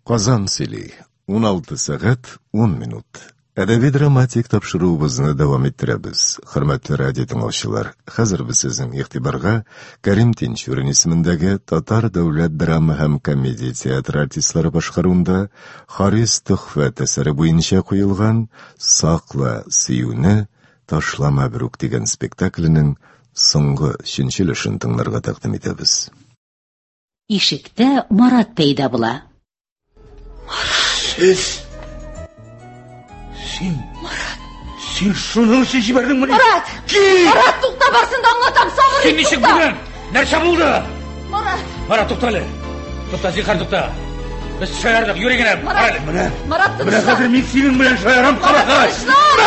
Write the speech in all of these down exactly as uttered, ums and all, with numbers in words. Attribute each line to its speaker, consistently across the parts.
Speaker 1: Казан сөйли. Уналты сәгать ун минут. Әдәби-драматик тапшыруыбызны дәвам иттерәбез. Хөрмәтле радио тыңлаучылар, хәзер без сезнең игътибарга Кәрим Тинчурин исемендәге Татар дәүләт драма һәм комедия театры артистлары башкаруында Харис Төхфәт әсәре буенча куелган «Сакла сөюне, ташлама берүк» дигән спектакленең соңгы өченче өлешен тыңларга тәкъдим итәбез.
Speaker 2: Ишектә Марат пәйда була.
Speaker 3: Марат! Сез... Син... Марат! Син шуның өчен җибәрдеңмени?
Speaker 4: Марат!
Speaker 3: Кит!
Speaker 4: Марат, тукта, барсын да аңлатам, сабыр
Speaker 3: Син ничек бүген? Нәрсә булды?
Speaker 4: Марат!
Speaker 3: Марат, тукта әле. Тукта, зинһар, тукта. Без шаярдык, юри генә.
Speaker 4: Марат!
Speaker 3: Менә.
Speaker 4: Марат,
Speaker 3: Менә
Speaker 4: тынычлан.
Speaker 3: хәзер мин синең белән шаярам,
Speaker 4: Марат,
Speaker 3: кабахәт.
Speaker 4: тынычлан!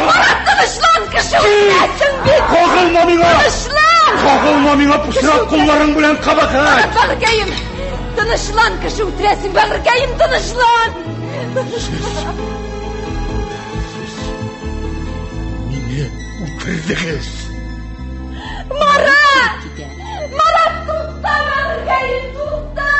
Speaker 4: Марат, тынычлан, кеше үтерәсең бит!
Speaker 3: Кагылма миңа!
Speaker 4: Тынычлан!
Speaker 3: Кагылма миңа пычрак кулларың белән, кабахәт!
Speaker 4: Марат, бәгырькәем! Тынычлан, кеше үтерәсең, бәгырькәем, тынычлан!
Speaker 3: Сез... Мине үтердегез!
Speaker 4: Марат! Марат, тукта, бәгырькәем, тукта!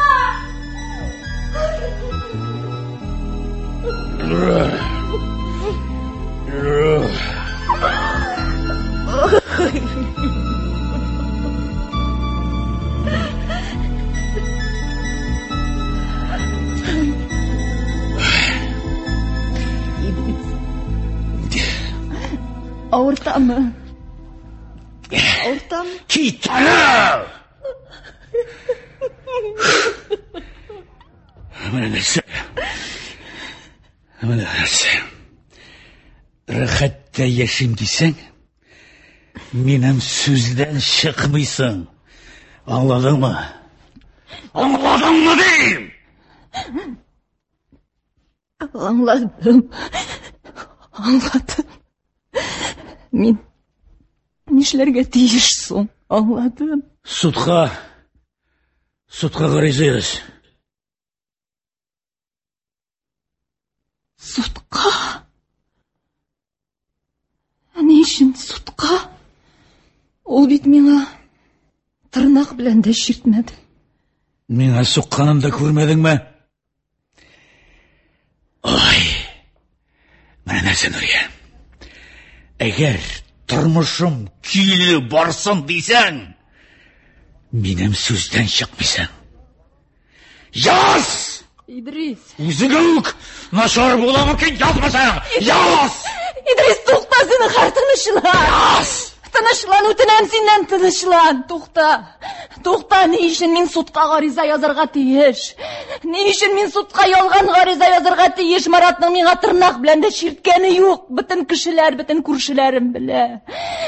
Speaker 4: Авыртамы? Авыртамы?
Speaker 3: Кит аны! Менә нәрсә. Менә нәрсә. Рәхәттә яшим дисәң, минем сүздән чыкмыйсың. Аңладыңмы? Аңладыңмы дим?
Speaker 4: Аңладым. Аңладым. Мин нишләргә тиеш соң? Аңладым.
Speaker 3: Судка, судка гариза яз.
Speaker 4: Судка? Ә ни өчен судка? Ул бит миңа тырнак белән дә чиртмәде.
Speaker 3: Миңа сукканын да күрмәдеңме? Ай, менә нәрсә, Нурия. Әгәр тормышым көйле барсын дисәң, минем сүздән чыкмыйсың. Яз!
Speaker 4: Идрис!
Speaker 3: Үзеңә үк начар була мөмкин, язмасаң! Яз!
Speaker 4: Идрис, тукта, зинһар, тынычлан!
Speaker 3: Яз!
Speaker 4: Тынычлан, үтенәм синнән, тынычлан! Тукта! Тукта, ни өчен мин судка гариза язарга тиеш? Ни өчен мин судка ялган гариза язарга тиеш? Маратның миңа тырнак белән дә чирткәне юк. Бөтен кешеләр, бөтен күршеләрем белә.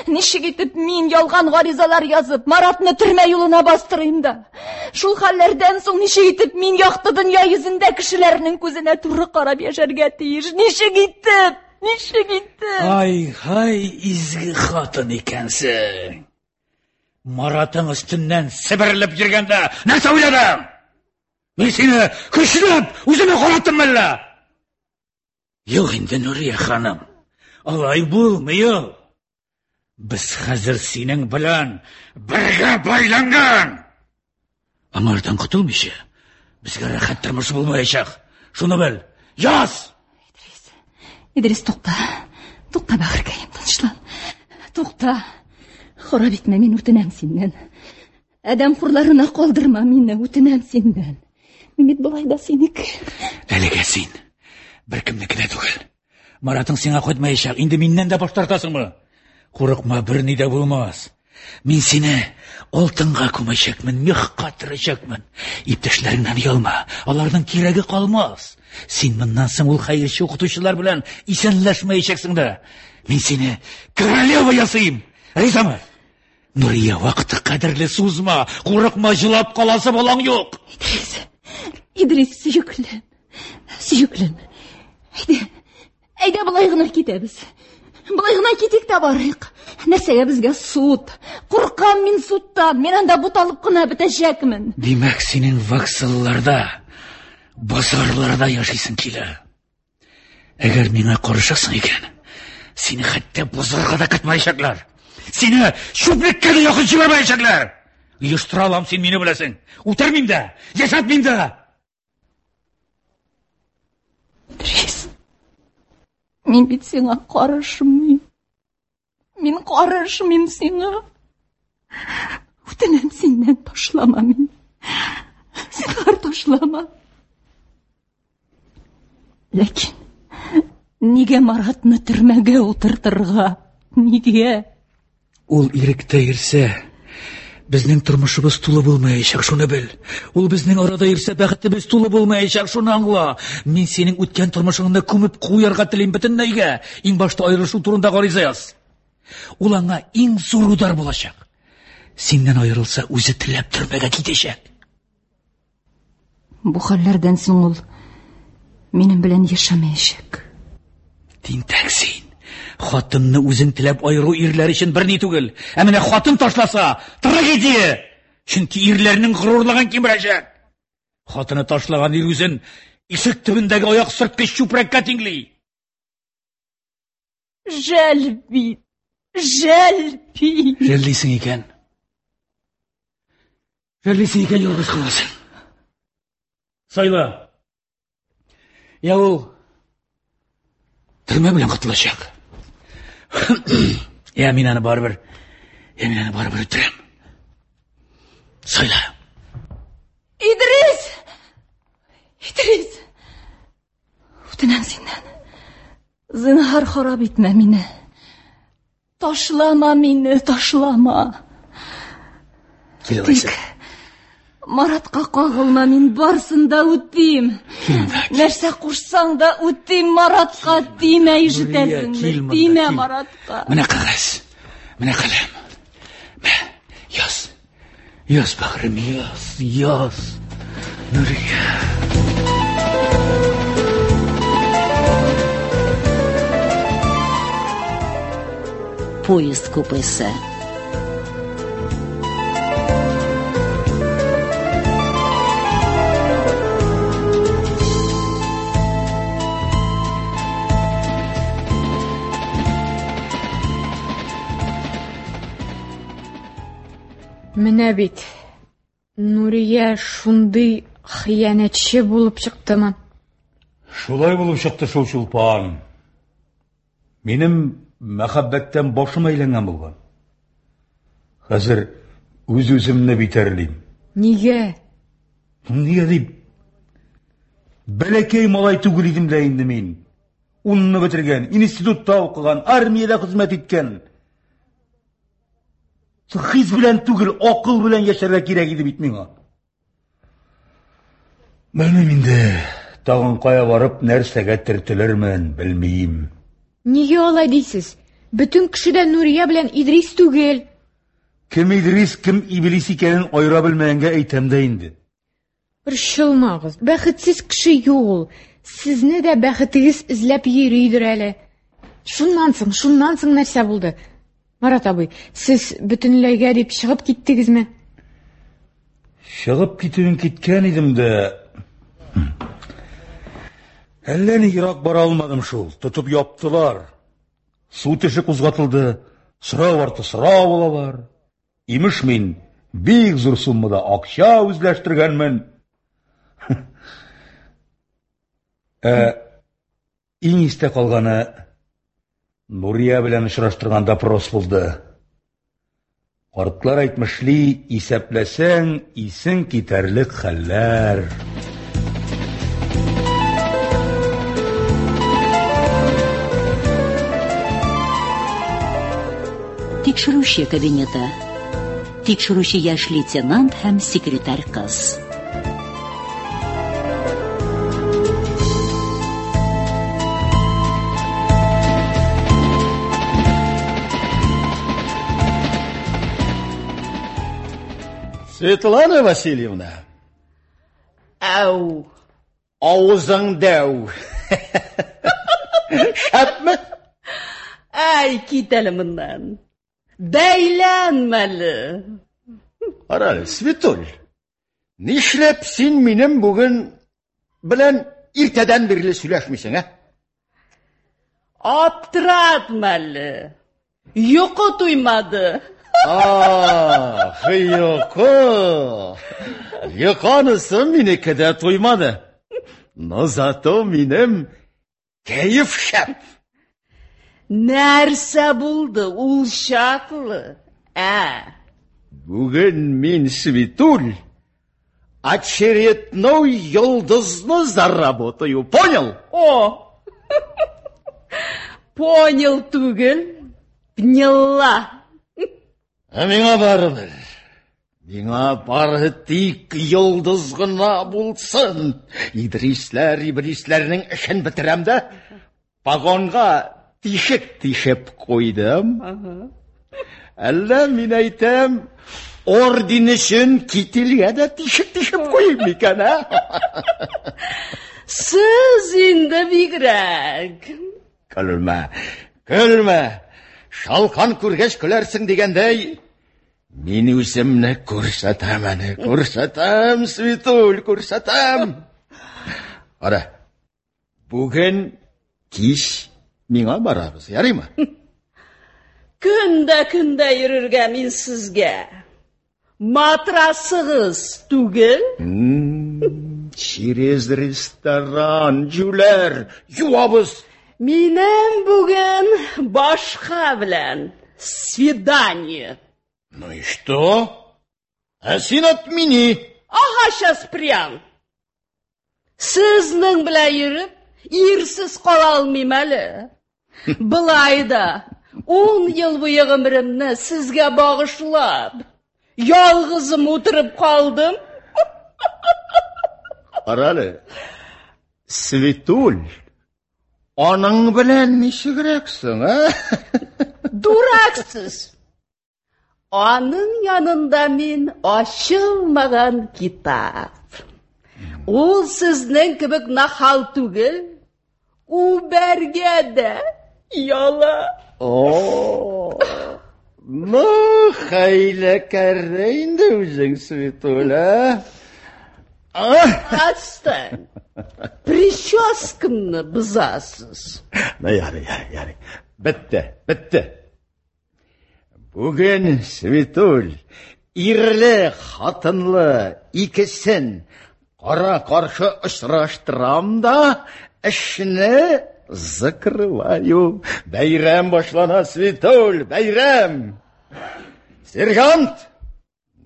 Speaker 4: Ничек итеп мин ялган гаризалар язып, Маратны төрмә юлына бастырыйм да? Шул хәлләрдән соң ничек итеп мин якты дөнья йөзендә кешеләрнең күзенә туры карап яшәргә тиеш? Ничек итеп? Ничек итеп?
Speaker 3: Ай-һай, изге хатын икәнсең. Маратың өстеннән себерелеп йөргәндә нәрсә уйладың? Мин сине көчләп үземә караттым әллә? Юк инде, Нурия ханым, алай булмый ул. Без хәзер синең белән бергә бәйләнгән. Аңардан котылмыйча безгә рәхәт тормыш булмаячак. Шуны бел. Яз!
Speaker 4: Идрис, Идрис, тукта. Тукта, бәгырькәем, тынычлан. Тукта. Харап итмә, мин үтенәм синнән. Адәм хурларына калдырма мине, үтенәм синнән. Мин бит болай да синеке.
Speaker 3: Әлегә син беркемнеке дә түгел. Маратың сиңа кайтмаячак. Инде миннән дә баш тартасыңмы? Курыкма, берни дә булмас. Мин сине алтынга күмәчәкмен, мехка төрәчәкмен. Иптәшләреңнән оялма, аларның кирәге калмас. Син моннан соң ул хәерче укытучылар белән исәнләшмәячәксең дә. Мин сине королева ясыйм. Ризамы? Нурия, вакыты кадерле, сузма. Курыкма, җылап каласы балаң юк.
Speaker 4: Идрис, Идрис, сөеклем, сөеклем. Әйдә, әйдә болай гына китәбез. Болай гына китик тә барыйк. Нәрсәгә безгә суд? Куркам мин судтан. Мин анда буталып кына бетәчәкмен.
Speaker 3: Димәк, синең вокзалларда, базарларда яшисең килә. Әгәр миңа карышасың икән, сине хәтта базарга да кертмәячәкләр. Сине чүплеккә дә якын җибәрмәячәкләр. Оештыра алам, син мине беләсең. Үтермим дә, яшәтмим дә.
Speaker 4: Мин бит сиңа карышмыйм. Мин карышмыйм сиңа. Үтенәм синнән, ташлама мине. Зинһар, ташлама. Ләкин нигә Маратны төрмәгә утыртырга? Нигә?
Speaker 3: Ул иректә йөрсә, безнең тормышыбыз тулы булмаячак, шуны бел. Ул безнең арада йөрсә, бәхетебез тулы булмаячак, шуны аңла. Мин синең үткән тормышыңны күмеп куярга телим бөтенләйгә. Иң башта аерылышу турында гариза яз. Ул аңа иң зур удар булачак. Синнән аерылса, үзе теләп төрмәгә китәчәк.
Speaker 4: Бу хәлләрдән соң ул минем белән яшәмәячәк.
Speaker 3: Тинтәк син. Хатынны үзең теләп аеру ирләр өчен берни түгел. Ә менә хатын ташласа, трагедия. Чөнки ирләрнең горурлыгын кимерәчәк. Хатыны ташлаган ир үзен ишек төбендәге аяк сөрткеч чүпрәккә тиңли.
Speaker 4: Жәл бит, жәл бит.
Speaker 3: Жәллисең икән. Жәллисең икән, ялгыз каласың. Сайла. Я ул төрмә белән котылачак. Я мин аны барыбер, я мин аны барыбер үтерәм. Сайла.
Speaker 4: Идрис! Идрис! Үтенәм синнән. Зинһар, харап итмә мине. Ташлама мине, ташлама.
Speaker 3: Кил алайса.
Speaker 4: Маратка кагылма, мин барсын да үтим. Нәрсә кушсаң да үтим, Маратка тимә, ишетәсеңме? Тимә Маратка.
Speaker 3: Менә кәгазь, менә каләм. Мә, яз. Яз, бәгърем, яз, яз. Нурия.
Speaker 2: Поезд купесы.
Speaker 5: Менә бит, Нурия шундый хыянәтче булып чыктымы?
Speaker 6: Шулай булып чыкты шул, Чулпан. Минем мәхәббәттән башым әйләнгән булган. Хәзер үз-үземне битәрлим.
Speaker 5: Нигә?
Speaker 6: Нигә дип? Бәләкәй малай түгел идем дә инде мин. Унны бетергән, институтта укыган, армиядә хезмәт иткән. Хис белән түгел, акыл белән яшәргә кирәк иде бит миңа. Белмим инде, тагын кая барып нәрсәгә төртелермен, белмим.
Speaker 5: Нигә алай дисез? Бөтен кеше дә Нурия белән Идрис түгел.
Speaker 6: Кем Идрис, кем Иблис икәнен аера белмәгәнгә әйтәм дә инде.
Speaker 5: Борчылмагыз, бәхетсез кеше юк ул. Сезне дә бәхетегез эзләп йөридер әле. Шуннан соң, шуннан соң нәрсә булды? Марат абый, сез бөтенләйгә дип чыгып киттегезме?
Speaker 6: Чыгып китүен киткән идем дә, әллә ни ерак бара алмадым шул. Тотып яптылар. Суд эше кузгатылды. Сорау арты сорау алалар. Имеш мин бик зур суммада акча үзләштергәнмен. Ә иң истә калганы Нурия белән очраштырган допрос булды. Картлар әйтмешли, исәпләсәң, исең китәрлек хәлләр.
Speaker 2: Тикшерүче кабинеты. Тикшерүче яшь лейтенант һәм секретарь кыз.
Speaker 7: Светлана Васильевна.
Speaker 8: Әу.
Speaker 7: Авызың дәү. Шәпме?
Speaker 8: Әй, кит әле моннан. Бәйләнмәле.
Speaker 7: Кара әле, Светуль. Нишләп син минем бүген белән иртәдән бирле сөйләшмисең, ә?
Speaker 8: Аптыратма әле. Йокы туймады.
Speaker 7: Ах, йокы. Йокы анысы минеке дә туймады. Но зато минем кәеф шәп.
Speaker 8: Нәрсә булды ул чаклы? Ә?
Speaker 7: Бүген мин, Светуль, очередной йолдызны заработаю. Понял?
Speaker 8: О! Понял түгел, поняла.
Speaker 7: Ә миңа барыбер. Миңа бары тик йолдыз гына булсын. Идрисләр, иблисләрнең эшен бетерәм дә, погонга тишек тишеп куйдым. Әллә мин әйтәм, орден өчен кительгә дә тишек тишеп куйыйм микән, ә?
Speaker 8: Сез инде бигрәк.
Speaker 7: Көлмә, көлмә. Шалкан күргәч көләрсең дигәндәй, мин үземне күрсәтәм әле, күрсәтәм, Светуль, күрсәтәм. Ара, бүген кич миңа барабыз, ярыймы?
Speaker 8: Көн дә көндә йөрергә мин сезгә. Матрасыгыз түгел?
Speaker 7: Через ресторан, җүләр, юабыз.
Speaker 8: Минем бүген башка белән свидание.
Speaker 7: Ну и что? Ә син отмени.
Speaker 8: Ага, сейчас прям. Сезнең белән йөреп, ирсез кала алмыйм әле. Былай да ун ел буе гомеремне сезгә багышлап, ялгызым утырып калдым.
Speaker 7: Кара әле, Светуль, аның белән ничегрәк соң, ә?
Speaker 8: Дурак сез. Аның янында мин ачылмаган китап. Ул сезнең кебек нахал түгел, үбәргә дә яла.
Speaker 7: О, ну, хәйләкәр дә инде үзең, Светуль, ә?
Speaker 8: Отстань. Прическамны бозасыз.
Speaker 7: Ну, ярый, ярый, ярый. Бетте, бетте. Бүген, Светуль, ирле, хатынлы икесен кара-каршы очраштырам да, эшне закрываю. Бәйрәм башлана, Светуль, бәйрәм. Сержант,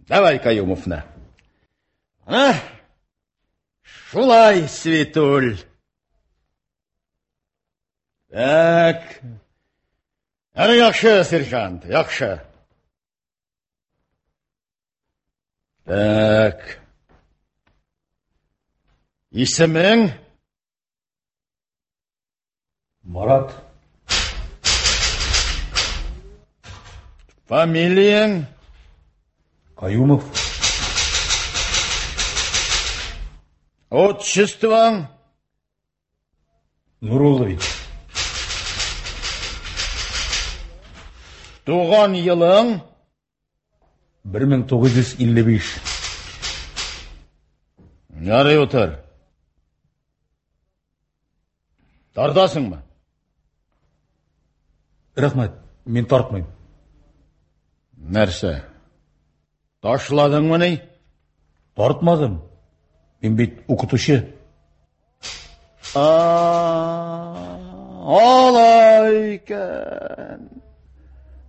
Speaker 7: давай Каюмовны. Ана, шулай, Светуль. Так. Әне яхшы, сержант, яхшы. Так. Исемең?
Speaker 6: Марат.
Speaker 7: Фамилияң?
Speaker 6: Каюмов.
Speaker 7: Отчествоң?
Speaker 6: Нуруллович.
Speaker 7: Туган елың?
Speaker 6: бер мең тугыз йөз илле биш.
Speaker 7: Ярый, утыр. Тартасыңмы?
Speaker 6: Рәхмәт, мин тартмыйм.
Speaker 7: Нәрсә? Ташладыңмы ни?
Speaker 6: Тартмадым. Мин бит укытучы.
Speaker 7: Алай икән.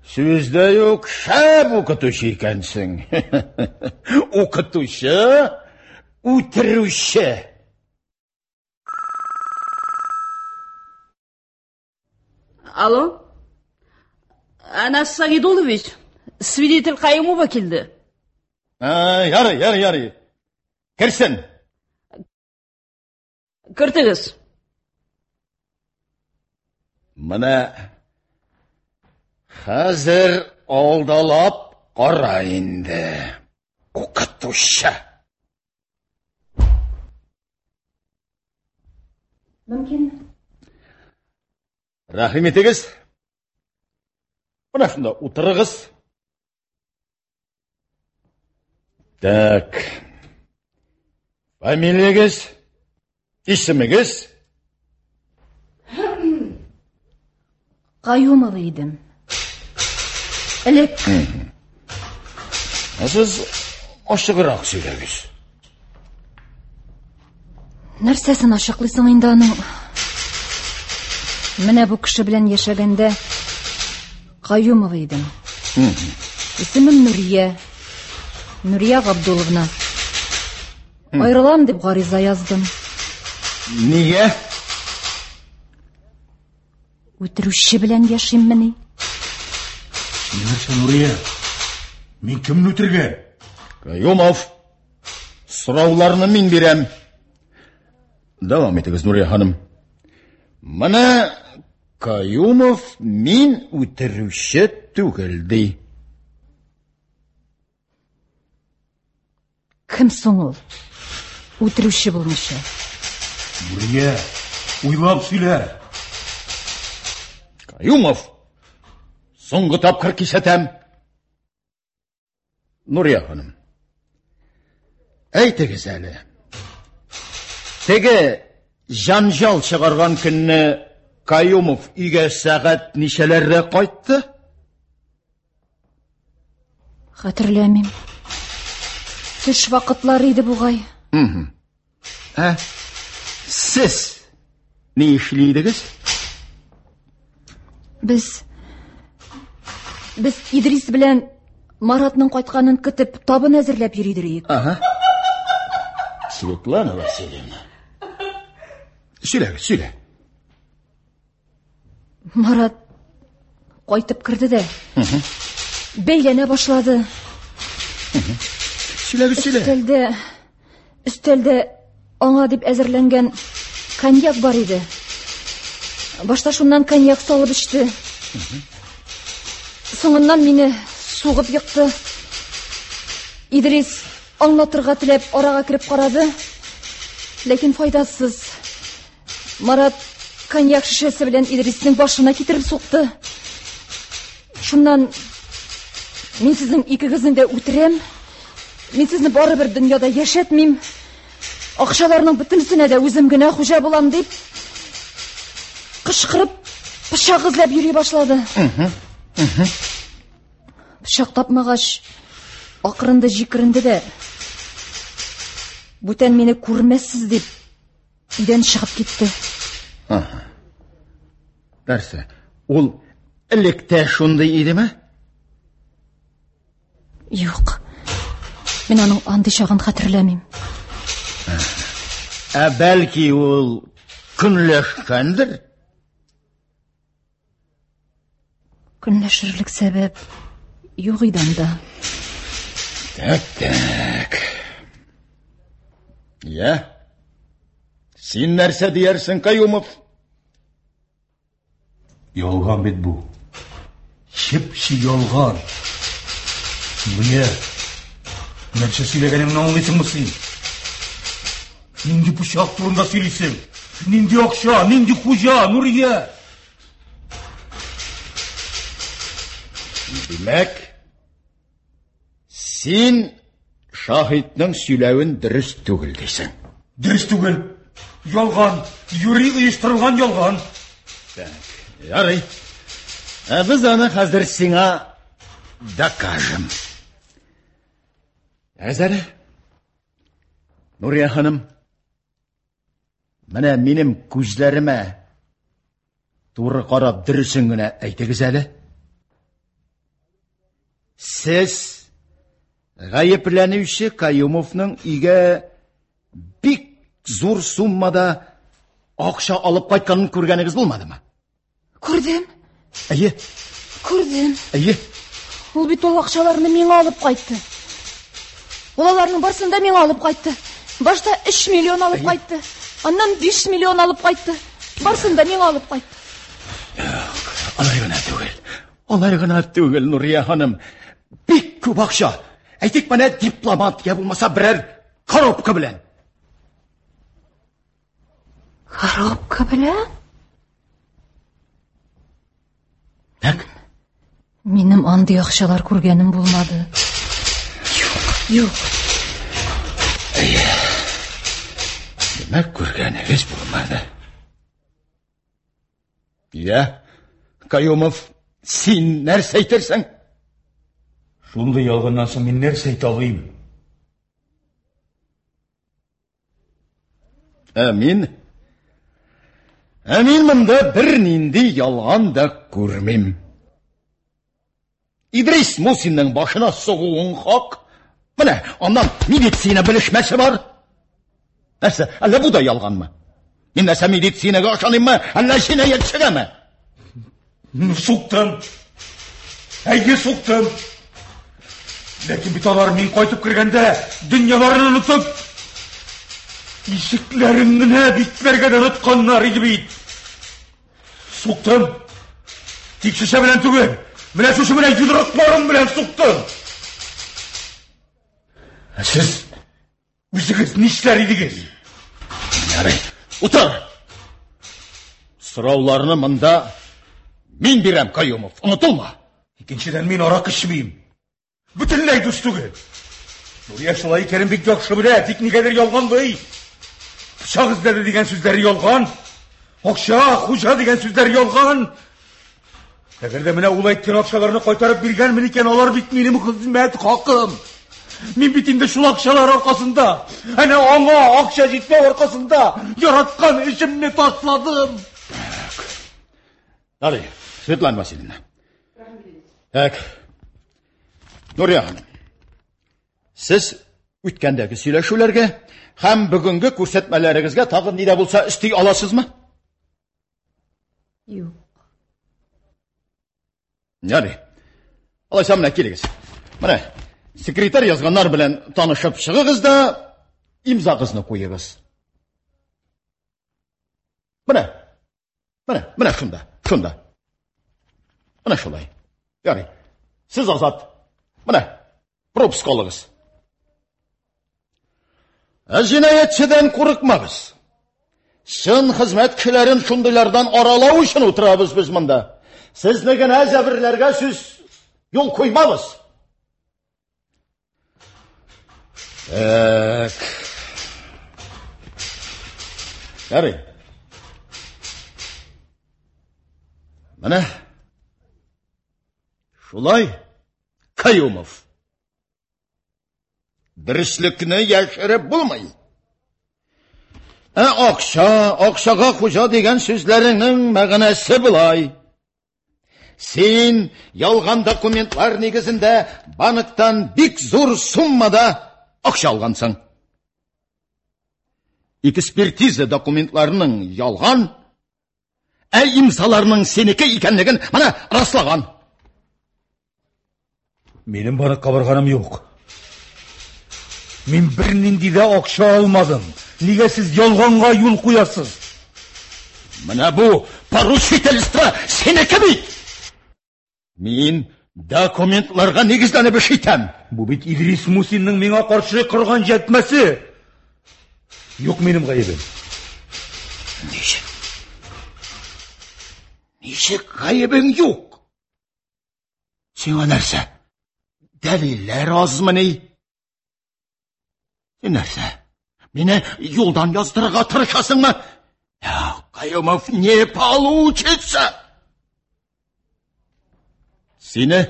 Speaker 7: Сүз дә юк, шәп укытучы икәнсең. Укытучы, үтерүче.
Speaker 8: Алло? Анас Сагидулович, свидетель Каюмова килде.
Speaker 7: Ярый, ярый, ярый. Керсен.
Speaker 8: Кертегез.
Speaker 7: Менә хәзер алдалап кара инде, укытучы.
Speaker 4: Мөмкин.
Speaker 7: Рәхим итегез. Менә шунда утырыгыз. Так. Фамилиягез, исемегез?
Speaker 4: Каюмова идем. Элек.
Speaker 7: Ә сез ачыграк сөйләгез.
Speaker 4: Нәрсәсен ачыклыйсың инде аның? Менә бу кеше белән яшәгәндә Каюмова идем. Исемем Нурия. Нурия Габдуловна. Аерылам дип гариза яздым.
Speaker 7: Нигә?
Speaker 4: Үтерүче белән яшиммени?
Speaker 6: Нәрсә, Нурия? Мин кемне үтергән?
Speaker 7: Каюмов, сорауларны мин бирәм. Дәвам итегез, Нурия ханым. Менә Каюмов мин үтерүче түгел, ди.
Speaker 4: Кем соң ул? Үтерүче булмыйча.
Speaker 6: Нурия, уйлап сөйлә.
Speaker 7: Каюмов, соңгы тапкыр кисәтәм. Нурия ханым, әйтегез әле. Теге җанҗал чыгарган көнне Каюмов өйгә сәгать ничәләрдә кайтты?
Speaker 4: Хәтерләмим. Төш вакытлары иде бугай.
Speaker 7: Ә сез ни эшли идегез?
Speaker 4: Без без Идрис белән Маратның кайтканын көтеп, табын әзерләп йөри идек.
Speaker 7: Ага. Светлана Васильевна. Сөйлә, сөйлә.
Speaker 4: Марат кайтып керде дә. Бәйләнә башлады.
Speaker 7: Сөйлә, сөйлә.
Speaker 4: Өстәлдә, өстәлдә аңа дип әзерләнгән коньяк бар иде. Башта шуннан коньяк салып эчте. Соңыннан мине сугып екты. Идрис аңлатырга теләп арага кереп карады, ләкин файдасыз. Марат коньяк шешәсе белән Идриснең башына китереп сукты. Шуннан мин сезнең икегезне дә үтерәм. Мин сезне барыбер дөньяда яшәтмим. Акчаларның бөтенесенә дә үзем генә хуҗа булам дип кычкырып пычак эзләп йөри башлады. Пычак тапмагач, акырынды җикеренде дә, бүтән мине күрмәссез дип өйдән чыгып китте.
Speaker 7: Ага. Нәрсә, ул элек тә шундый идеме?
Speaker 4: Юк. Мин аның андый чагын хәтерләмим.
Speaker 7: Ә бәлки ул көнләшкәндер?
Speaker 4: Көнләшерлек сәбәп юк иде анда.
Speaker 7: Так, так. Я? Син нәрсә диярсең, Каюмов?
Speaker 6: Ялган бит бу. Чеп-чи ялган. Нурия, нәрсә сөйләгәнеңне аңлыйсыңмы син? Нинди пычак турында сөйлисең? Нинди акча, нинди хуҗа, Нурия?
Speaker 7: Димәк, син шаһитның сөйләвен дөрес түгел дисең.
Speaker 6: Дөрес түгел. Ялган, юри оештырылган ялган.
Speaker 7: Так, ярый. Ә без аны хәзер сиңа докажем. Әзер? Нурия ханым, менә минем күзләремә туры карап дөресен генә әйтегез әле. Сез гаепләнүче Каюмовның өйгә бик зур суммада акча алып кайтканын күргәнегез булмадымы?
Speaker 4: Күрдем.
Speaker 7: Әйе.
Speaker 4: Күрдем.
Speaker 7: Әйе.
Speaker 4: Ул бит ул акчаларны миңа алып кайтты. Ул аларның барысын да миңа алып кайтты. Башта өч миллион алып кайтты. Аннан биш миллион алып кайтты. Барысын да миңа алып кайтты.
Speaker 7: Юк, алай гына түгел. Алай гына түгел, Нурия ханым. Бик күп акча. Әйтик, менә дипломат я булмаса берәр коробка белән.
Speaker 4: Коробка белән?
Speaker 7: Так.
Speaker 4: Минем андый акчалар күргәнем булмады. Юк, юк.
Speaker 7: Әйе. Димәк, күргәнегез булмады. Я, Каюмов, син нәрсә әйтерсең?
Speaker 6: Шундый ялганнан соң мин нәрсә әйтә алыйм?
Speaker 7: Ә мин Ә мин монда бернинди ялган да күрмим. Идрис Мусинның башына сугуың хак. Менә аннан медицина белешмәсе бар. Нәрсә, әллә бу да ялганмы? Мин нәрсә медицинага ышаныйммы, әллә җинаятьчегәме?
Speaker 6: Суктым. Әйе, суктым. Ләкин бит алар мин кайтып кергәндә дөньяларын онытып, ишекләрен генә бикләргә дә онытканнар иде бит. Суктым. Тик шешә белән түгел, менә шушы менә йодрыкларым белән суктым. Ә сез үзегез нишләр идегез?
Speaker 7: Ярый, утыр. Сорауларны монда мин бирәм, Каюмов, онытылма.
Speaker 6: Икенчедән, мин аракы эчмим. Бөтенләй дус түгел. Нурия шулай икәнен бик яхшы белә, тик нигәдер ялганлый. Пычак эзләде дигән сүзләре ялган. Акча, хуҗа дигән сүзләре ялган. Әгәр дә менә ул әйткән акчаларны кайтарып биргәнмен икән, алар бит минем хезмәт хакым. Мин бит инде шул акчалар аркасында, әнә аңа акча җитмәү аркасында яраткан эшемне ташладым.
Speaker 7: Ярый, Светлана Васильевна. Так. Нурия ханым, сез үткәндәге сөйләшүләргә һәм бүгенге күрсәтмәләрегезгә тагын ни дә булса өсти аласызмы?
Speaker 5: Юк.
Speaker 7: Ярый. Алайса менә килегез. Менә секретарь язганнар белән танышып чыгыгыз да имзагызны куегыз. Менә. Менә, менә шунда, шунда. Менә шулай. Ярый. Сез азат. Менә пропуск алыгыз. Ә җинаятьчедән курыкмагыз. Чын хезмәт кешеләрен шундыйлардан аралау өчен утырабыз без монда. Сезне генә җәберләргә сүз юл куймабыз. Так. Ярый. Менә шулай, Каюмов. Дөреслекне яшереп булмый. Ә акча, акчага хуҗа дигән сүзләреңнең мәгънәсе болай. Син ялган документлар нигезендә банктан бик зур суммада акча алгансың. Экспертиза документларының ялган, ә имзаларының сенеке икәнлеген менә раслаган.
Speaker 6: Минем банкка барганым юк. Мин бернинди дә акча алмадым. Нигә сез ялганга юл куясыз?
Speaker 7: Менә бу поручительство синеке бит. Мин документларга нигезләнеп эш итәм.
Speaker 6: Бу бит Идрис Мусинның миңа каршы корган җәтмәсе. Юк минем гаебем.
Speaker 7: Ничек? Ничек гаебең юк? Сиңа нәрсә? Дәлилләр азмыни? Син нәрсә? Мине юлдан яздырырга тырышасыңмы? Каюмов, не получится! Сине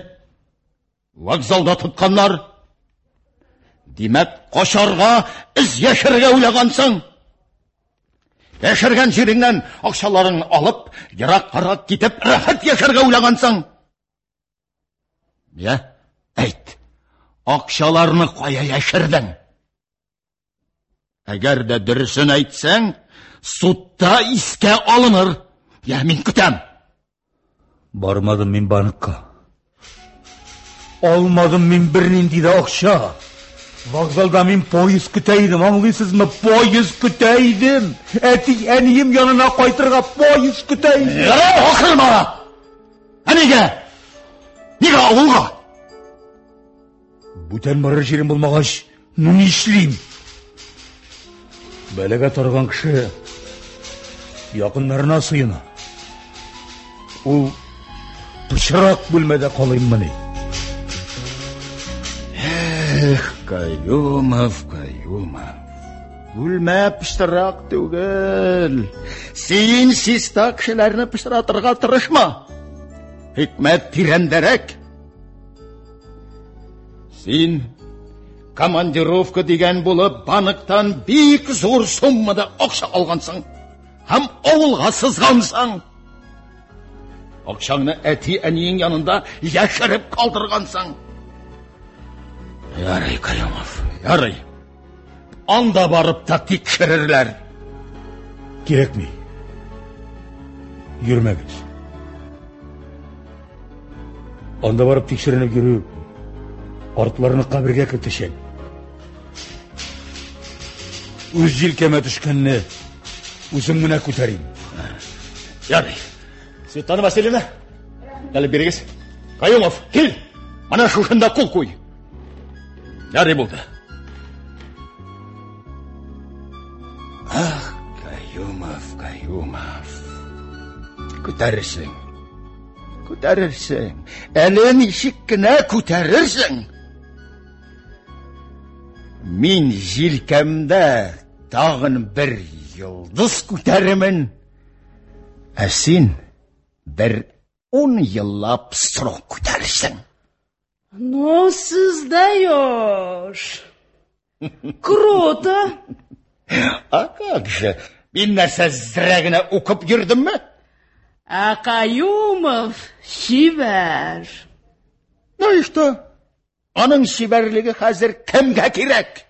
Speaker 7: вокзалда тотканнар. Димәк, качарга, эз яшерергә уйлагансың. Яшергән җиреңнән акчаларыңны алып, ераккарак китеп, рәхәт яшәргә уйлагансың. Я, әйт, акчаларны кая яшердең? Әгәр дә дөресен әйтсәң, судта искә алыныр. Я, мин көтәм.
Speaker 6: Бармадым мин банкка. Алмадым мин бернинди дә акча. Вокзалда мин поезд көтә идем, аңлыйсызмы? Поезд көтә идем. Әти, әнием янына кайтырга поезд көтә идем.
Speaker 7: Ярар, акырма! Ә нигә? Нигә авылга?
Speaker 6: Бүтән барыр җирем булмагач, ну нишлим? Бәлагә тарган кеше якыннарына сыена. Ул пычрак бүлмәдә калыйммыни?
Speaker 7: Эх, Каюмов, Каюмов. Бүлмә пычрак түгел. Син чиста кешеләрне пычратырга тырышма. Хикмәт тирәндәрәк. Син командировка дигән булып банктан бик зур суммада акча алгансың. һәм авылга сызгансың. Акчаңны әти-әниең янында яшереп калдыргансың. Ярый, Каюмов, ярый. Анда барып та тикшерерләр.
Speaker 6: Кирәкми. Йөрмәгез. Анда барып тикшеренеп йөрү картларны кабергә кертәчәк. Үз җилкәмә төшкәнне үзем генә күтәрим.
Speaker 7: Ярый. Светлана Васильевна, әле бирегез. Каюмов, кил. Менә шушында кул куй. Ярый булды. Ах, Каюмов, Каюмов. Күтәрерсең. Күтәрерсең. Әле ничек кенә күтәрерсең. Мин җилкәмдә тагын бер йолдыз күтәрермен. Ә син бер ун еллап срок күтәрерсең.
Speaker 8: Ну, создаешь. Круто.
Speaker 7: А как же? Мин нәрсә зрә генә укып йөрдемме?
Speaker 8: Ә Каюмов чибәр.
Speaker 7: Ну и что? Аның чибәрлеге хәзер кемгә кирәк?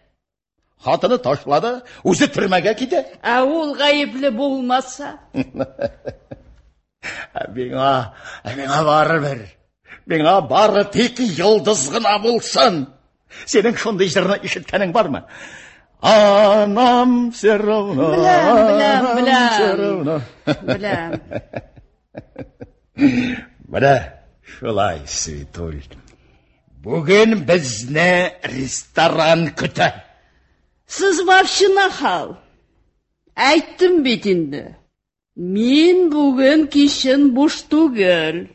Speaker 7: Хатыны ташлады, үзе төрмәгә китә.
Speaker 8: Ә ул гаепле булмаса?
Speaker 7: Ә миңа, ә миңа барыбер. Миңа бары тик йолдыз гына булсын. Синең шундый җырны ишеткәнең бармы? А нам все равно.
Speaker 8: Беләм, беләм,
Speaker 7: нам
Speaker 8: беләм.
Speaker 7: все равно.
Speaker 8: Беләм.
Speaker 7: Менә шулай, Светуль. Бүген безне ресторан көтә.
Speaker 8: Сез вообще нахал. Әйттем бит инде. Мин бүген кичен буш түгел.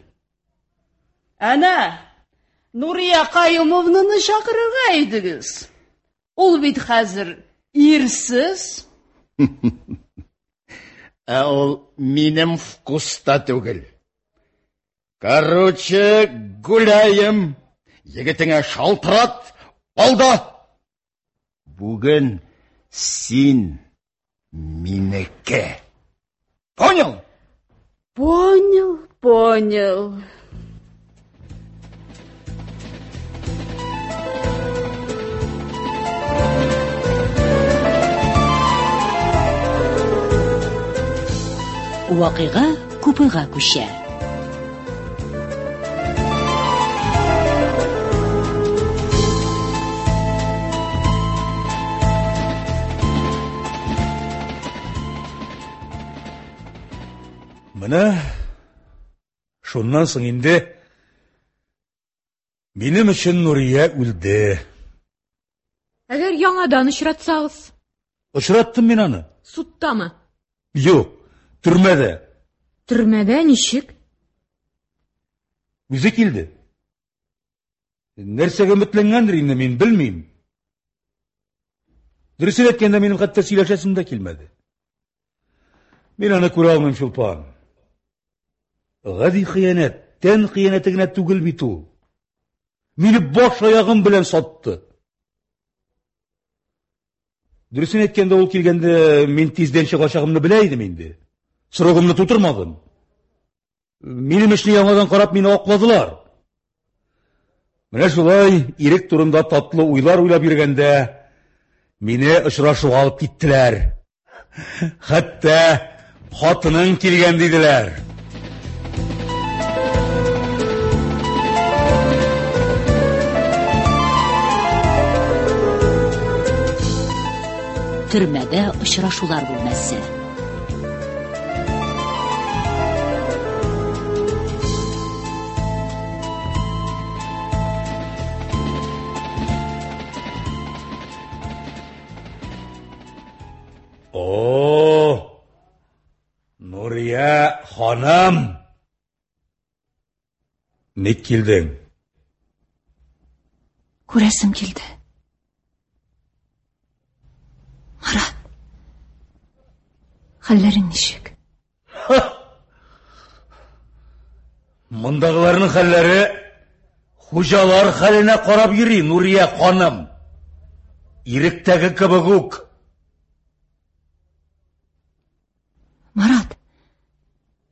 Speaker 8: Әнә, Нурия Каюмовнаны чакырырга идегез. Ул бит хәзер ирсез.
Speaker 7: Ә ул минем вкуста түгел. Короче, гуляем. Егетеңә шалтырат, алда. Бүген син минеке. Понял?
Speaker 8: Понял, понял.
Speaker 2: Вакыйга купега күчә.
Speaker 6: Менә шуннан соң инде минем өчен Нурия үлде.
Speaker 5: Әгәр яңадан очратсагыз?
Speaker 6: Очраттым мин аны.
Speaker 5: Судтамы?
Speaker 6: Юк, төрмәдә.
Speaker 5: Төрмәдә ничек?
Speaker 6: Үзе килде. Нәрсәгә өметләнгәндер инде, мин белмим. Дөресен әйткәндә, минем хәтта сөйләшәсем дә килмәде. Мин аны күрә алмыйм, Чулпан. Гади хыянәт, тән хыянәте генә түгел бит ул. Мине баш аягым белән сатты. Дөресен әйткәндә, ул килгәндә мин тиздән чыгачагымны белә идем инде. Срогымны тутырмадым. Минем эшне яңадан карап мине акладылар. Менә шулай ирек турында татлы уйлар уйлап йөргәндә мине очрашуга алып киттеләр. Хәтта хатының килгән диделәр.
Speaker 2: Төрмәдә очрашулар бүлмәсе.
Speaker 6: О, Нурия ханым! Ник килдең?
Speaker 4: Күрәсем килде. Марат, хәлләрең ничек?
Speaker 6: Мондагыларның хәлләре хуҗалар хәленә карап йөри, Нурия ханым. Иректәге кебек үк.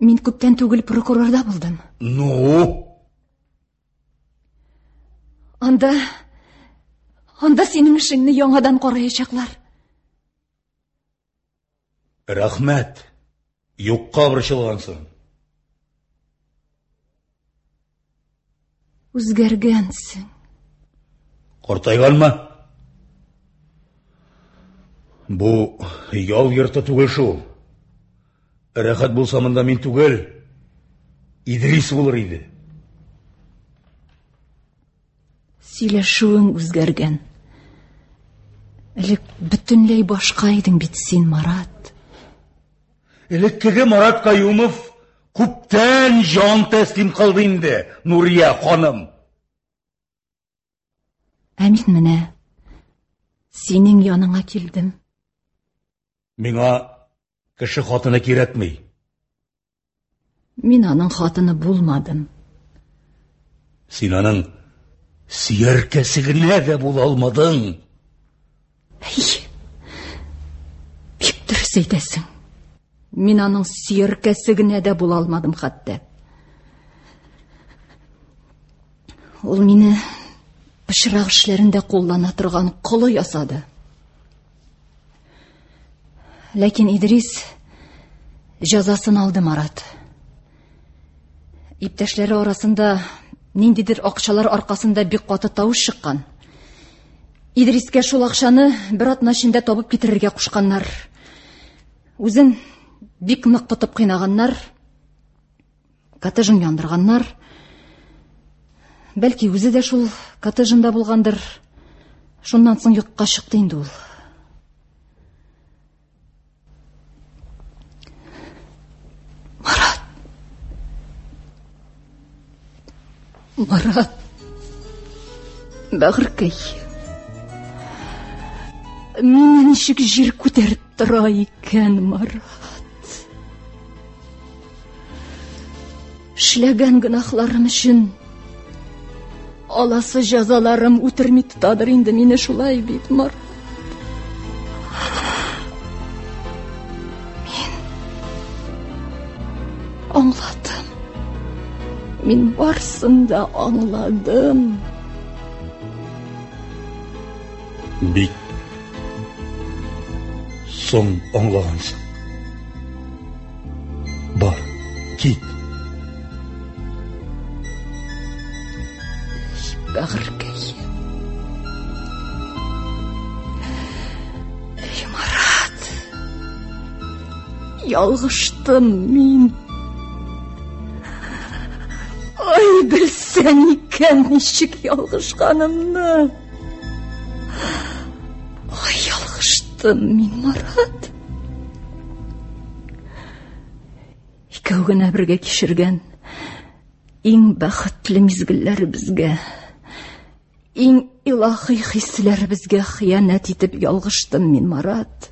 Speaker 4: Мин күптән түгел прокурорда булдым.
Speaker 6: Ну?
Speaker 4: Анда, анда синең эшеңне яңадан караячаклар.
Speaker 6: Рәхмәт. Юкка борчылгансың.
Speaker 4: Үзгәргәнсең.
Speaker 6: Картайганмы? Бу ял йорты түгел шул. Рәхәт булса монда мин түгел, Идрис булыр иде.
Speaker 4: Сөйләшүең үзгәргән. Элек бөтенләй башка идең бит син, Марат.
Speaker 6: Элеккеге Марат Каюмов күптән җан тәслим кылды инде, Нурия ханым.
Speaker 4: Ә мин менә синең яныңа килдем.
Speaker 6: Миңа кеше хатыны кирәкми.
Speaker 4: Мин аның хатыны булмадым.
Speaker 6: Син аның сөяркәсе генә дә була алмадың.
Speaker 4: Әй, бик дөрес әйтәсең. Мин аның сөяркәсе генә дә була алмадым хәтта. Ул мине пычрак эшләрендә куллана торган колы ясады. Ләкин Идрис җәзасын алды, Марат. Иптәшләре арасында ниндидер акчалар аркасында бик каты тавыш чыккан. Идрискә шул акчаны бер атна эчендә табып китерергә кушканнар. Үзен бик нык тотып кыйнаганнар, коттеджын яндырганнар. Бәлки үзе дә шул коттеджында булгандыр. Шуннан соң юкка чыкты инде ул. Марат. Марат. Бәгырькәй. Мине ничек җир күтәреп тора икән, Марат. Эшләгән гөнаһларым өчен аласы җәзаларым үтерми тотадыр инде мине, шулай бит, Марат. Мин аңладым. Мин барсын да аңладым.
Speaker 6: Бик соң аңлагансың. Бар, кит.
Speaker 4: Бәгырькәй. Эй, Марат. Ялгыштым мин. Ай, белсәң икән ничек ялгышканымны. Ай, ялгыштым мин, Марат. Икәү генә бергә кичергән иң бәхетле мизгелләребезгә, иң илаһи хисләребезгә хыянәт итеп ялгыштым мин, Марат.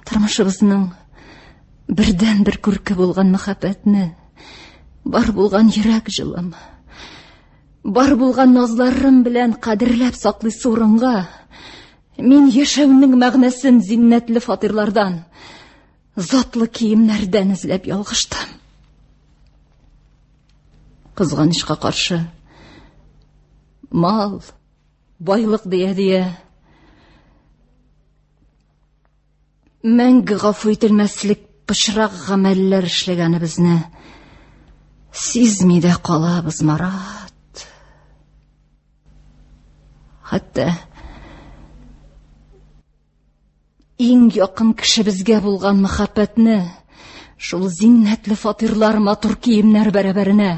Speaker 4: Тормышыбызның бердән-бер күрке булган мәхәббәтне, бар булган йөрәк җылым, бар булган назларым белән кадерләп саклыйсы урынга, мин яшәүнең мәгънәсен зиннәтле фатирлардан, затлы киемнәрдән эзләп ялгыштым. Кызганычка каршы, мал, байлык дия-дия, мәңге гафу ителмәслек пычрак гамәлләр эшләгәнебезне сизми дә калабыз, Марат. Хәтта иң якын кешебезгә булган мәхәббәтне шул зиннәтле фатирлар, матур киемнәр бәрабәренә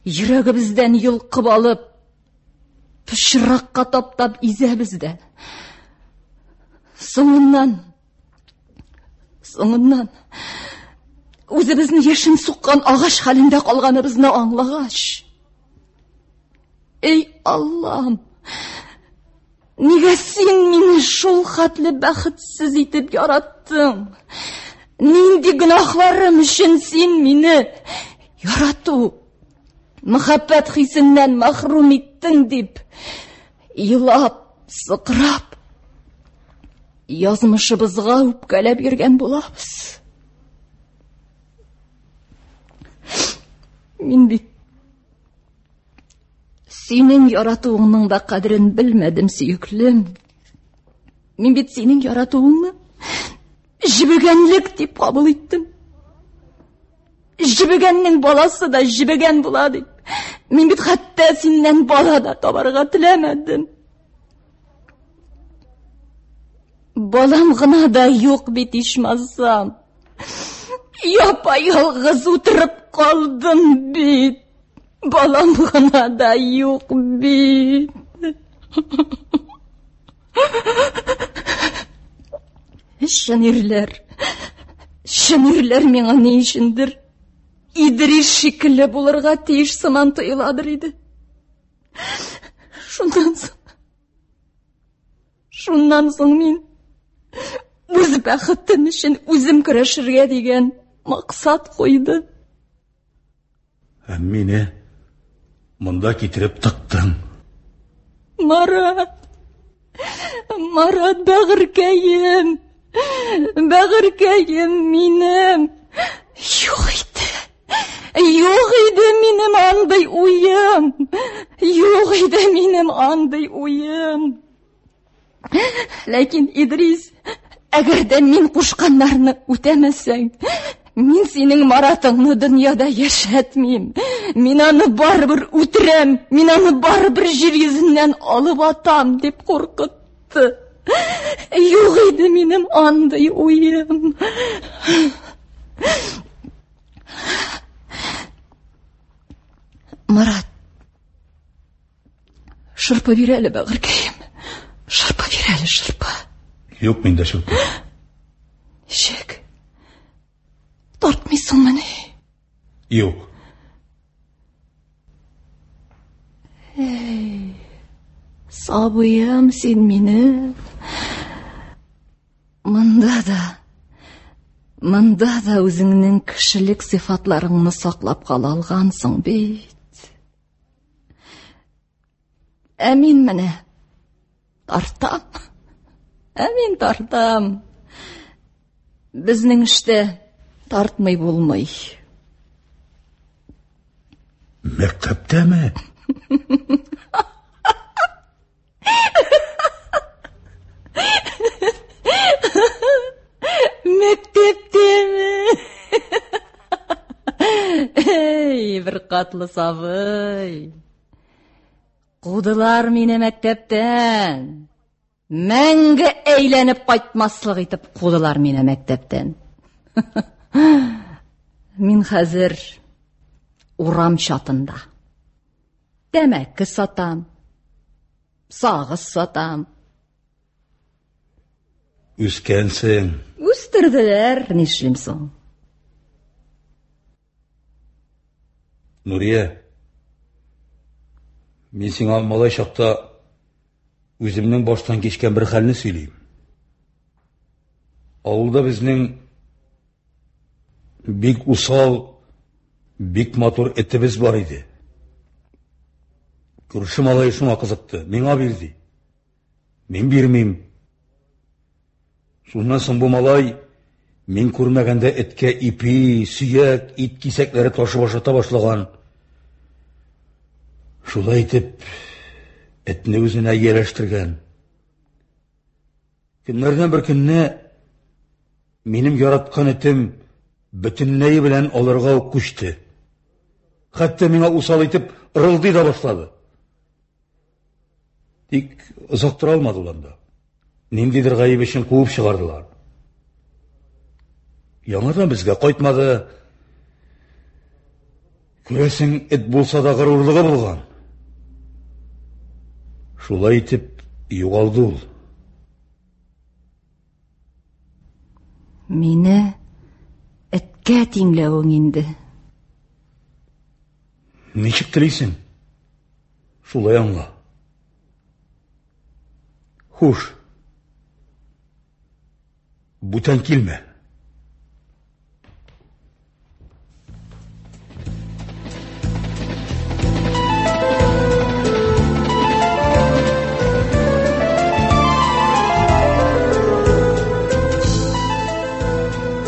Speaker 4: йөрәгебездән йолкып алып, пычракка таптап изәбез дә. Соңыннан, соңыннан үзебезне яшен суккан агач хәлендә калганыбызны аңлагач, эй Аллам, нигә син мине шул хәтле бәхетсез итеп яраттың? Нинди гөнаһларым өчен син мине ярату, мәхәббәт хисеннән мәхрүм иттең дип, елап, сыкрап, Язмышыбызга үпкәләп йөргән булабыз. Мин бит синең яратуыңның да кадерен белмәдем, сөеклем. Мин бит синең яратуыңны җебегәнлек дип кабул иттем. Җебегәннең баласы да җебегән була дип. Мин бит хәтта синнән бала да табарга теләмәдем. Балам гына да юк бит ичмасам. Япа-ялгыз утырып калдым бит. Балам гына да юк бит. Чын ирләр, чын ирләр миңа ни өчендер Идрис шикелле булырга тиеш сыман тоеладыр иде. Шуннан соң, шуннан соң мин үз бәхетем өчен үзем көрәшергә дигән максат куйдым.
Speaker 6: Ә мине монда китереп тыктың.
Speaker 4: Марат, Марат, бәгырькәем, бәгырькәем минем. Юк иде, юк иде минем андый уем. Юк иде минем андый уем. Ләкин Идрис, әгәр дә мин кушканнарны үтәмәсәң, мин синең Маратыңны дөньяда яшәтмим. Мин аны барыбер үтерәм, мин аны барыбер җир йөзеннән алып атам дип куркытты. Юк иде минем андый уем. Марат, шырпы бир әле, бәгырькәем. Шырпы бир әле, шырпы.
Speaker 6: Юк миндә шырпы.
Speaker 4: Ничек? Тартмыйсыңмыни?
Speaker 6: Юк.
Speaker 4: Эй, сабыем син минем. Монда да, монда да үзеңнең кешелек сыйфатларыңны саклап кала алгансың бит. Ә мин менә тартам. Ә мин тартам. Безнең эштә тартмый булмый.
Speaker 6: Мәктәптәме?
Speaker 4: Мәктәптәме? Эй, бер катлы сабый. Кудылар мине мәктәптән. Мәңге әйләнеп кайтмаслык итеп кудылар мине мәктәптән. Мин хәзер урам чатында. Тәмәке сатам, сагыз сатам.
Speaker 6: Үскәнсең.
Speaker 4: Үстерделәр, нишлим соң?
Speaker 6: Нурия, мин сиңа малай чакта үземнең баштан кичкән бер хәлне сөйлим. Авылда безнең бик усал, бик матур этебез бар иде. Күрше малае шуңа кызыкты, миңа бирде. Мин бирмим. Шуннан соң бу малай мин күрмәгәндә эткә ипи, сөяк, ит кисәкләре ташып ашата башлаган. Шулай итеп этне үзенә ияләштергән. Көннәрдән бер көнне минем яраткан этем бөтенләе белән алырга ук күчте. Хәтта миңа усал итеп ырылдый да башлады. Тик озак тора алмады ул анда. Ниндидер гаеп өчен куып чыгардылар. Яңадан безгә кайтмады. Күрәсең, эт булса да горурлыгы булган. Шулай итеп югалды ул.
Speaker 4: Мине эткә тиңләвең инде.
Speaker 6: Ничек телисең? Шулай аңла. Хуш. Бүтән килмә.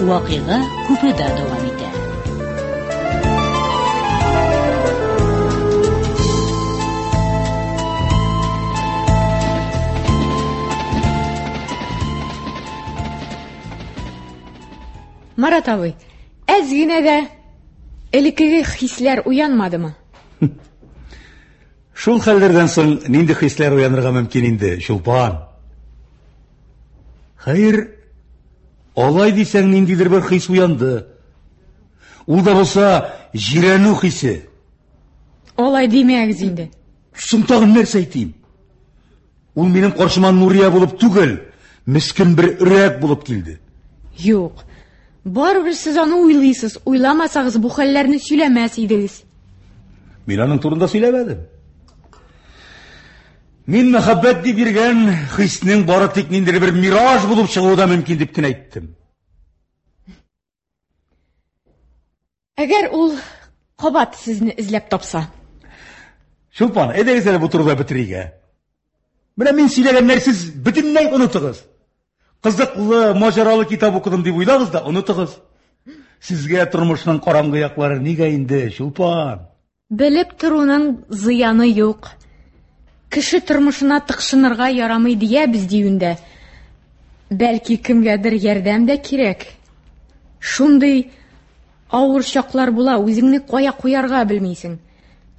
Speaker 2: Вакыйга купеда дәвам итә.
Speaker 5: Марат абый, әз генә дә элеккеге хисләр уянмадымы?
Speaker 6: Шул хәлләрдән соң нинди хисләр уянырга мөмкин инде, Чулпан? Хәер, алай дисәң, ниндидер бер хис уянды. Ул да булса җирәнү хисе.
Speaker 5: Алай димәгез инде.
Speaker 6: Соң тагын нәрсә әйтим? Ул минем каршыма Нурия булып түгел, мескен бер өрәк булып килде.
Speaker 5: Юк. Барыбер сез аны уйлыйсыз. Уйламасагыз бу хәлләрне сөйләмәс идегез.
Speaker 6: Мин аның турында сөйләмәдем. Мин мәхәббәт дип йөргән хиснең бары тик ниндидер бер мираж булып чыгуы да мөмкин дип кенә әйттем.
Speaker 5: Әгәр ул кабат сезне эзләп тапса?
Speaker 6: Чулпан, әйдәгез әле бу турыда бетерик, ә? Менә мин сөйләгәннәр сез бөтенләй онытыгыз. Кызыклы, маҗаралы китап укыдым дип уйлагыз да онытыгыз. Сезгә тормышның караңгы яклары нигә инде, Чулпан?
Speaker 5: Белеп торуның зыяны юк. Кеше тормышына тыкшынырга ярамый диябез диюендә. Бәлки кемгәдер ярдәм дә кирәк. Шундый авыр чаклар була, үзеңне кая куярга белмисең.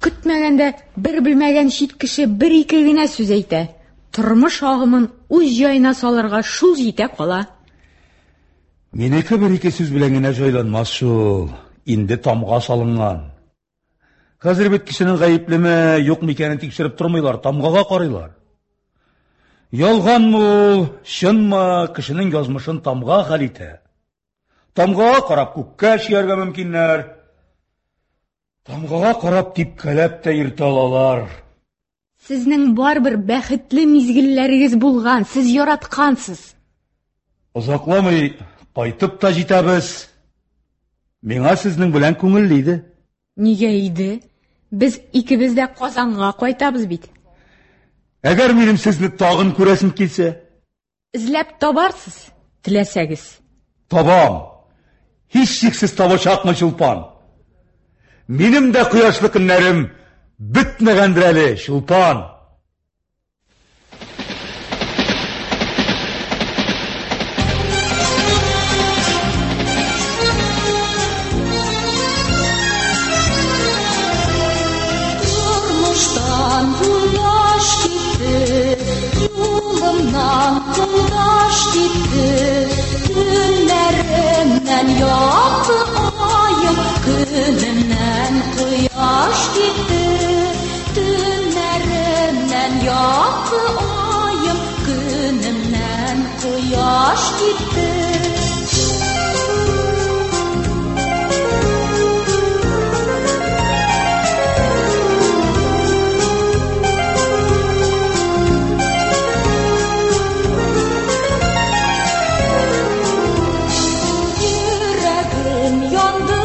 Speaker 5: Көтмәгәндә бер белмәгән чит кеше бер-ике генә сүз әйтә. Тормыш агымын үз җаена салырга шул җитә кала.
Speaker 6: Минеке бер-ике сүз белән генә җайланмас шул. Инде тамга салынган. Хәзер бит кешенең гаеплеме, юкмы икәнен тикшереп тормыйлар, тамгага карыйлар. Ялганмы ул, чынмы, кешенең язмышын тамга хәл итә. Тамгага карап күккә чөяргә мөмкиннәр. Тамгага карап типкәләп тә йөртә алалар.
Speaker 5: Сезнең барыбер бәхетле мизгелләрегез булган, сез яраткансыз.
Speaker 6: Озакламый кайтып та җитәбез. Миңа сезнең белән күңелле иде.
Speaker 5: Нигә иде? Без икебез дә Казанга кайтабыз бит.
Speaker 6: Әгәр минем сезне тагын күрәсем килсә?
Speaker 5: Эзләп табарсыз, теләсәгез.
Speaker 6: Табам. Һичшиксез табачакмын, Чулпан. Минем дә кояшлы көннәрем бетмәгәндер әле, Чулпан.
Speaker 4: Тормыштан юлдаш китте, юлымнан юлдаш китте. Төннәремнән якты аем, көнемнән кояш китте. Төннәремнән якты аем, көнемнән кояш китте. Йөрәгем янды,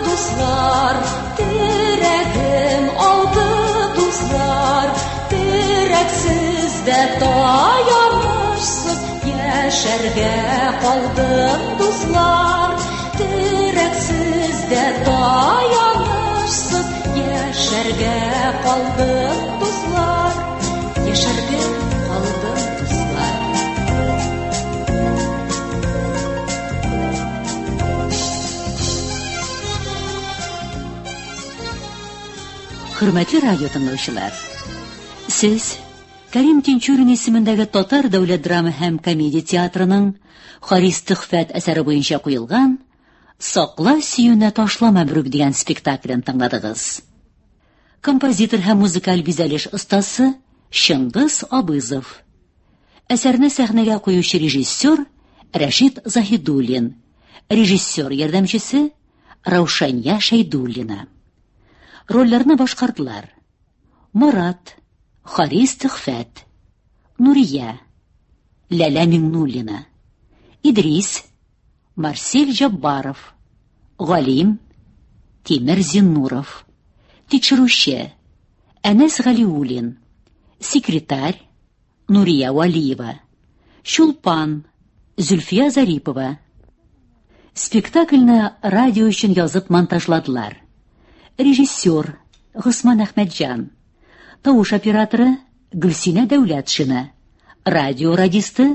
Speaker 4: дуслар, терәгем алды, дуслар. Терәксез дә таянышсыз яшәргә калдым, дуслар. Терәксез дә таянышсыз яшәргә калдым, дуслар. Яшәргә калдым, дуслар.
Speaker 2: Хөрмәтле радио тыңлаучылар, сез Кәрим Тинчурин исемендәге Татар дәүләт драма һәм комедия театрының Харис Төхфәт әсәре буенча куелган Сакла сөюне ташлама берүк дигән спектаклен тыңладыгыз. Композитор һәм музыкаль бизәлеш остасы Чыңгыз Абызов. Әсәрне сәхнәгә куючы режиссер Рәшит Заһидуллин, режиссер ярдәмчесе Раушания Шәйдуллина. Рольләрне башкардылар: Марат, Харис Төхфәт, Нурия, Ләлә Миңнуллина, Идрис, Марсель Җаббаров, Галим, Тимер Зиннуров, Тикшерүче, Әнәс Галиуллин, секретарь, Нурия Валиева, Чулпан, Зөлфия Зарипова, Спектакльне радио өчен язып монтажладылар. Режиссер Госман Әхмәтҗан, тавыш операторы Гөлсинә Дәүләтшина, радио радисты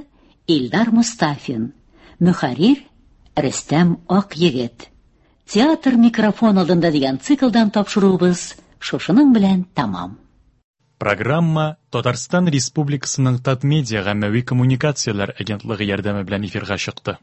Speaker 2: Илдар Мустафин, мөхәррир Рөстәм Акъегет. Театр микрофон алдында дигән циклдан тапшыруыбыз шушының белән тәмам.
Speaker 9: Программа Татарстан Республикасының Татмедиа гаммәви коммуникацияләр агентлыгы ярдәме белән эфирга чыкты.